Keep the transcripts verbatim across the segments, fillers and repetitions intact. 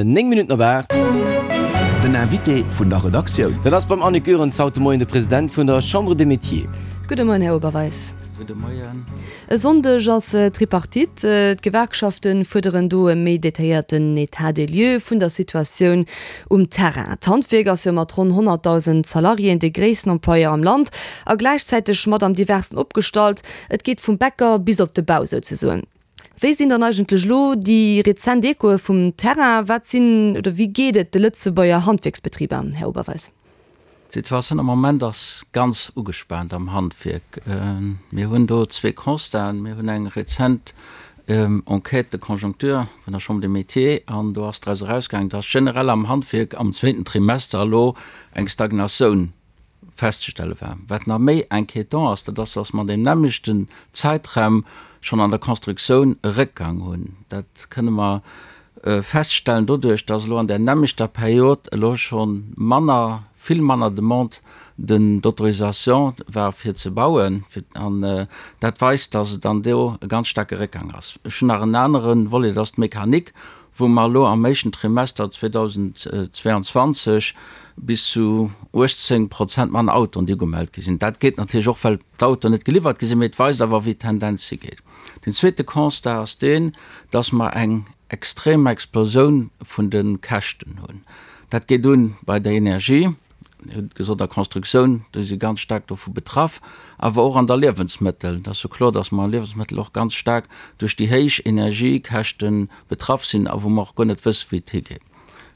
Néng Minutten op aacht. Den Invité vun der Redaktioun. Dat ass beim Annick Goerens haut de Moien de President vun der Chambre des Métiers. Gudde Moien, Här Oberweis. Gudde Moien. E Sonndeg ass Tripartite. D'Gewerkschafte fuerderen do e méi detailléierten État des lieux vun der Situatioun um Terrain. D'Handwierk ass jo mat ronn honnertdausend Salariéen dee gréissten Employeur am Land a gläichzäiteg mat am diversten opgestallt. Et geet vum Bäcker bis op de Bau souzesoen. Wéi sinn dann eigentlech elo déi rezent Echoe vum Terrain? Wat sinn oder wéi geet et de Lëtzebuerger Handwierksbetriber, Här Oberweis? D'Situatioun am Moment ass ganz ugespaant am Handwierk. Mir hunn do zwee Constaten. Mir hunn eng rezent Enquête de conjoncture vun der Chambre des Métiers an do ass draus erausgaangen, dass generell am Handwierk am zweeten Trimester elo eng Stagnatioun festzestelle war. Wat nach méi inquiétant ass, dat ass, dass mer an deem nämmlechten Zäitraum schonn an der Constructioun e Réckgang hunn. Dat kënne mer feststellen doduerch, dass elo an där nämmlechter Period elo scho manner, vill manner Demande d'autorisation war fir ze bauen. An dat weist, dass et dann do e ganz staarke Réckgang ass. Ech hunn nach en anere Volet, dat ass d'Mechanik, wou mer elo am éischten Trimester zweedausendzweeanzwanzeg bis zu uechtzéng Prozent manner Autoen, déi ugemellt gi sinn. Dat geet natierlech och, well d'Autoen net geliwwert gi sinn, mee et weist awer, wéi d'Tendenz higeet. Den zweete Constat ass deen, dass mer eng extrem Explosioun vun de Käschten hunn. Dat geet un bei der Energie, Dir hutt gesot, der Constructioun, do si ganz staark dovu betraff, awer och an der Liewensmëttel. Et ass jo kloer, dass mer Liewensmëttel och ganz staark duerch déi héich Energiekäschte betraff sinn a wou mer och guer net wësse wéi et higeet.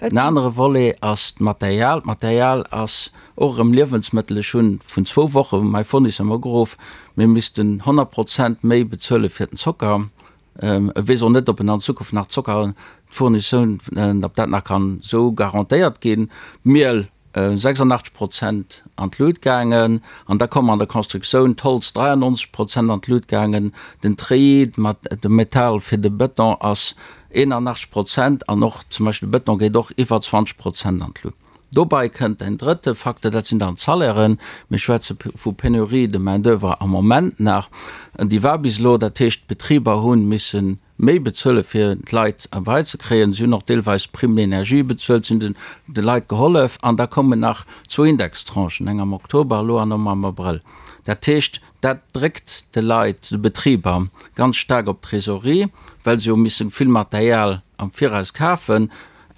En anere Volet ass d'Material. D'Material ass och erëm Liewensmëttel. Ech hu vun zwou Woche mäi Fournisseur mer ugeruff, mir missten honnert Prozent méi bezuele fir den Zocker. E weess och net, ob en an Zukunft nach Zocker, d'Fournitioun, ob dat nach kann esou garantéiert ginn. D'Miel sechsundachtzeg Prozent an d'Lut gaangen, an da koum an der Constructioun d'Holz dräiundneunzeg Prozent an d'Lut gaangen, den Treillis mat dem Metall fir de Bëton ass eenundachtzeg Prozent an och zum Beispill de Bëton geet och iwwer zwanzeg Prozent an d'Lut. Dobei kënnt en drëtte Facteur, dat sinn dann d'Salairen. Mir schwätze vu Pénurie de main d'oeuvre am Moment nach. Déi war bis elo, dat heescht d'Betriber hu missen méi bezuele fir d'Leit erbei ze kréien. Si hunn och deelweis Prime d'énergie bezuelt, si hunn de Leit gehollef. An da kommen nach zwou Indextranchen, eng am Oktober elo an eng am Abrëll. Dat heescht, dat dréckt de Leit, de Betriber ganz staark op d'Trésorerie, well se hu misse vill Material am Viraus kafen.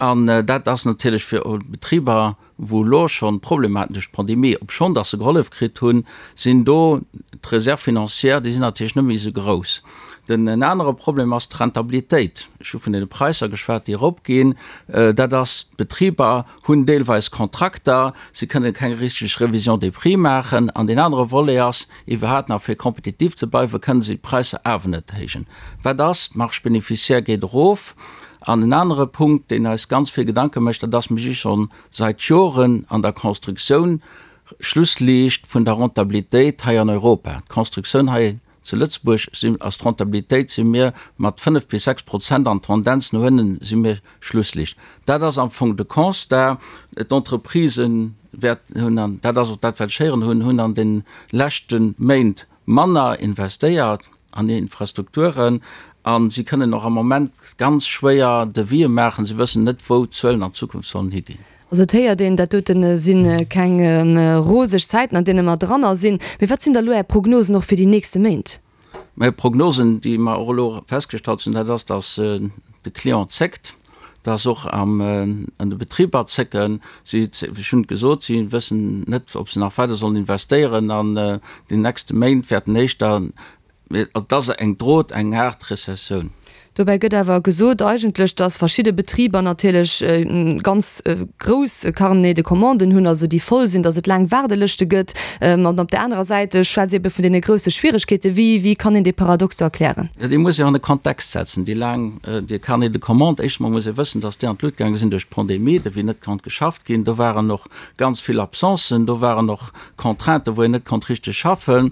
An dat ass natierlech fir Betriber, wou elo schonn Problemer haten duerch d'Pandemie, obschonn datt se gehollef kritt hunn, sinn do d'Réserves financières, déi sinn natierlech net méi esou grouss. Den en anere Problem ass d'Rentabilitéit. Ech hu vun deene Präisser geschwat, déi eropginn. Dat ass, d'Betriber hunn deelweis Kontrakter, se kënnen keng richteg Révision des prix maachen. An deen anere Volet ass iwwerhaapt nach, fir kompetitiv ze bleiwen, kënnen se d'Präisser awer net héijen. Wat ass? D'Marge bénéficiaire geet erof. An en anere Punkt, deen eis ganz vill Gedanke mécht, dat ass, mir si scho seit Joren an der Constructioun Schlussliicht vun der Rentabilitéit hei an Europa. D'Constructioun hei zu Lëtzebuerg si ass d'Rentabilitéit si mir mat fënnef bis sechs Prozent an d'Tendenz no ënnen si mir Schlussliicht. Dat ass am Fong de Constat. D'Entreprisen wäerten hunn, an dat ass och dat, wat ech héieren hunn, hunn an de leschte Méint manner investéiert an hir Infrastrukturen a si kënnen och am Moment ganz schwéier Devisë maachen. Si wëssen net, wou d'Zuelen an Zukunft sollen higinn. Also et héiert een, dat dote si keng roseg Zäiten, an deene mer dranner sinn. Mee wat sinn da elo Är Prognosen och fir déi nächste Méint? Mä Prognosen, déi mer och elo festgestallt hunn, dat ass, datt de Client zéckt, datt och an de Betriber zécken. Si, ech hunn et gesot, si wëssen net, ob se nach weider sollen investéieren an den nächste Méint wäerten éischter Mee et ass eng droht eng haart Rezessioun. Dobäi gëtt awer gesot eigentlech, datt verschidde Betriber natierlech ganz grouss Carnets de commanden hunn, also déi voll sinn, datt et laang Waardelëschte gëtt. An op där anerer Säit schwätzt ee ebe vun deene grousse Schwieregkeeten. Wéi, wéi kann een dee Paradox do erklären? Jo, dee muss een an de Kontext setzen, déi laang, déi Carnets de commandes. Éischt emol muss ee wëssen, datt déi an d'Lut gaange sinn duerch d'Pandemie, do wéi net konnt geschafft ginn. Do waren och ganz vill Absencen, do waren och Contrainten, wou een net konnt richteg schaffen.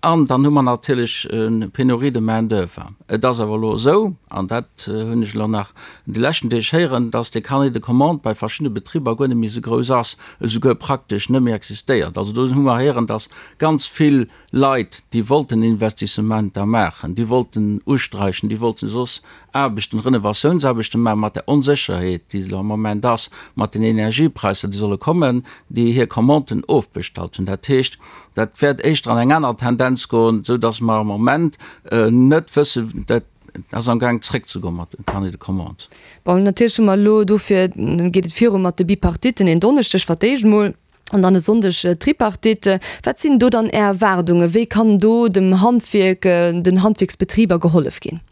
An dann hu mer natierlech e Pénurie de main d'oeuvre. Et ass awer elo esou, an dat hunn ech elo nach an de leschten Deeg héieren, dass dee Carnet de commandes bei verschiddene Betriber guer net méi esou grouss ass, esouguer praktesch net méi existéiert. Also do hu mer héieren, dass ganz vill Leit, déi wollten Investissementer maachen, déi wollten usträichen, déi wollten soss Aarbechten, Renovatiounsaarbechten maachen, mat der Onsécherheet, déi elo am Moment ass, mat den Energiepräisser, déi solle kommen, déi hir Commanden ofbestallt hunn. Dat heescht, dat wäert éischter an eng aner Tendenz goen, esou dass mer am Moment net wëssen, dat ass amgaang zréckzegoen mat dem Carnet de commandes. Bon, natierlech hu mer elo, dofir geet et viru mat de Bipartitten en Donneschdeg fir d'éischt emol an dann e Sonndeg d'Tripartite. Wat sinn do dann Är Erwaardungen? Wéi kann do dem Handwierk, den Handwierksbetriber gehollef ginn?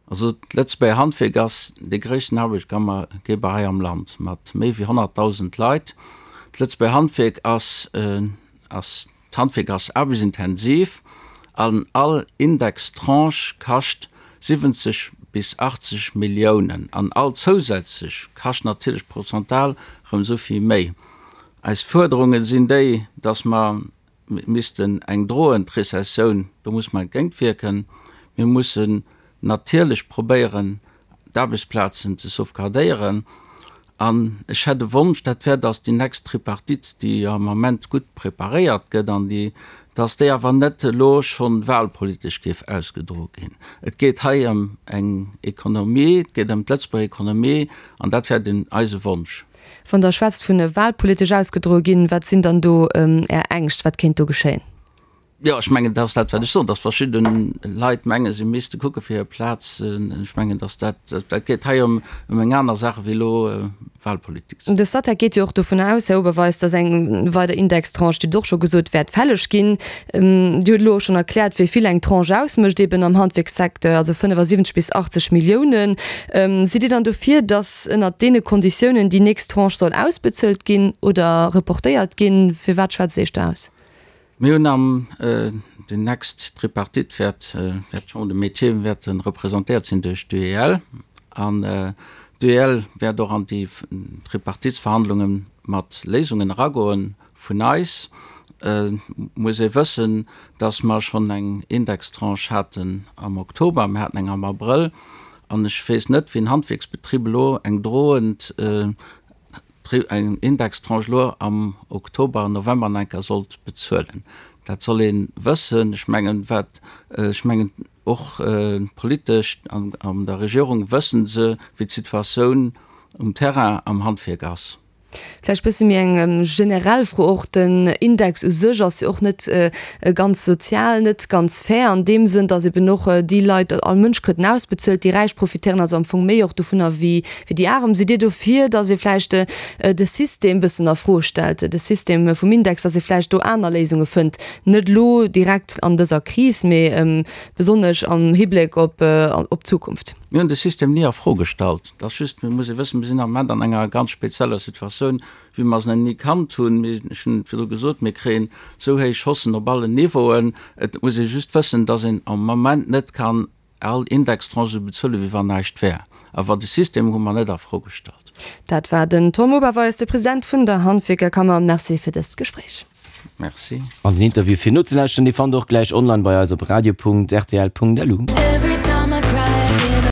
Also d'Lëtzebuerger Handwierk ass dee gréissten Arbechtgeber hei am Land mat méi wéi honnertdausend Leit. D'Lëtzebuerger Handwierk ass, ass, d'Handwierk ass aarbechtsintensiv an all Indextranche kascht siwwenzeg bis achtzeg Milliounen an all zousätzlech kascht natierlech prozental erëm esou vill méi. Eis Fuerderunge sinn déi, dass mer missten eng drohend Rezessioun, do muss mer entgéintwierken. Mir mussen natierlech probéieren, d'Aarbechtsplazen ze sauvegardéieren. An ech hätt e Wonsch, dat wär, dass déi nächst Tripartite, déi jo am Ament gutt preparéiert gëtt, an déi, dass déi awer net elo scho wahlpolitesch géif ausgedroe ginn. Et geet hei ëm eng Ekonomie, et geet ëm d'Lëtzebuerger Ekonomie, an dat wär den eise Wonsch. Wann Der schwätzt vun wahlpolitesch ausgedroe ginn, wat sinn dann do Är Ängscht, wat kéint do geschéien? Jo, ech mengen, dat ass dat, wat ech soen, datt verschidde Leit mengen, si misste kucke fir hir Plaz. Ech mengen, datt dat, dat geet hei ëm eng aner Saach wéi elo Wahlpolitik. De Statec geet jo och dovun aus, Här Oberweis, datt eng weider Indextranche, Dir hutt och scho gesot, wäert fälleg ginn. Dir hutt elo och schonn erkläert, wéi vill eng Tranche ausmécht eben am Handwierkssecteur, also fënnefasiwwenzeg bis achtzeg Milliounen. Sidd Dir dann dofir, datt ënnert deene Konditiounen déi nächst Tranche soll ausbezuelt ginn oder reportéiert ginn? Firwat schwätzt Dir Iech do aus? Mir hunn am, déi nächst Tripartite wäert, wäert d'Chambre de Métiers wäerte representéiert sinn duerch d'UEL. An d'UEL wäert och an déi Tripartitsverhandlunge mat Léisungen eragoen. Vun eis muss ee wëssen, dass mer schonn eng Indextranche haten am Oktober, mir haten eng am Abrëll. An ech weess net, wéi en Handwierksbetrib elo eng drohend eng Indextranche elo am Oktober, November nach eng Kéier sollt bezuelen. Dat soll ee wëssen. Ech mengen, wat, ech mengen och politesch an an der Regierung wësse se, wéi d'Situatioun um Terrain am Handwierk ass. Vläicht e bësse méi eng generell Fro och, Den Index u sech ass jo och net ganz sozial, net ganz fair an deem Sënn, datt eben och déi Leit, all Mënsch kritt en ausbezuelt, déi Räich profitéieren also am Fong méi och dovunner wéi déi Arem. Sidd Dir dofir, datt ee vläicht de System bëssen a Fro stellt, de System vum Index, datt ee vläicht do aner Léisunge fënnt, net elo direkt an dëser Kris, mee besonnesch am Hibléck op d'Zukunft? Mir hunn de System ni a Fro gestallt. Et ass just, mir muss ee wëssen, mir sinn am Moment an enger ganz spezieller Situatioun, wéi mer se nach ni kannt hunn. Mir, ech hunn et virdru gesot, mir kréien esou héich Haussen op allen Niveauen. Et muss ee just wëssen, dass een am Moment net kann all Indextranche esou bezuelen, wéi wann näischt wär. Awer de System hu mer net a Fro gestallt. Dat war den Tom Oberweis, de President vun der Handwierkerkammer. Merci fir dëst Gespréich. Merci. An den Interview fir nozelauschteren, dee fannt der och gläich online bei eis op radio.rtl.lu.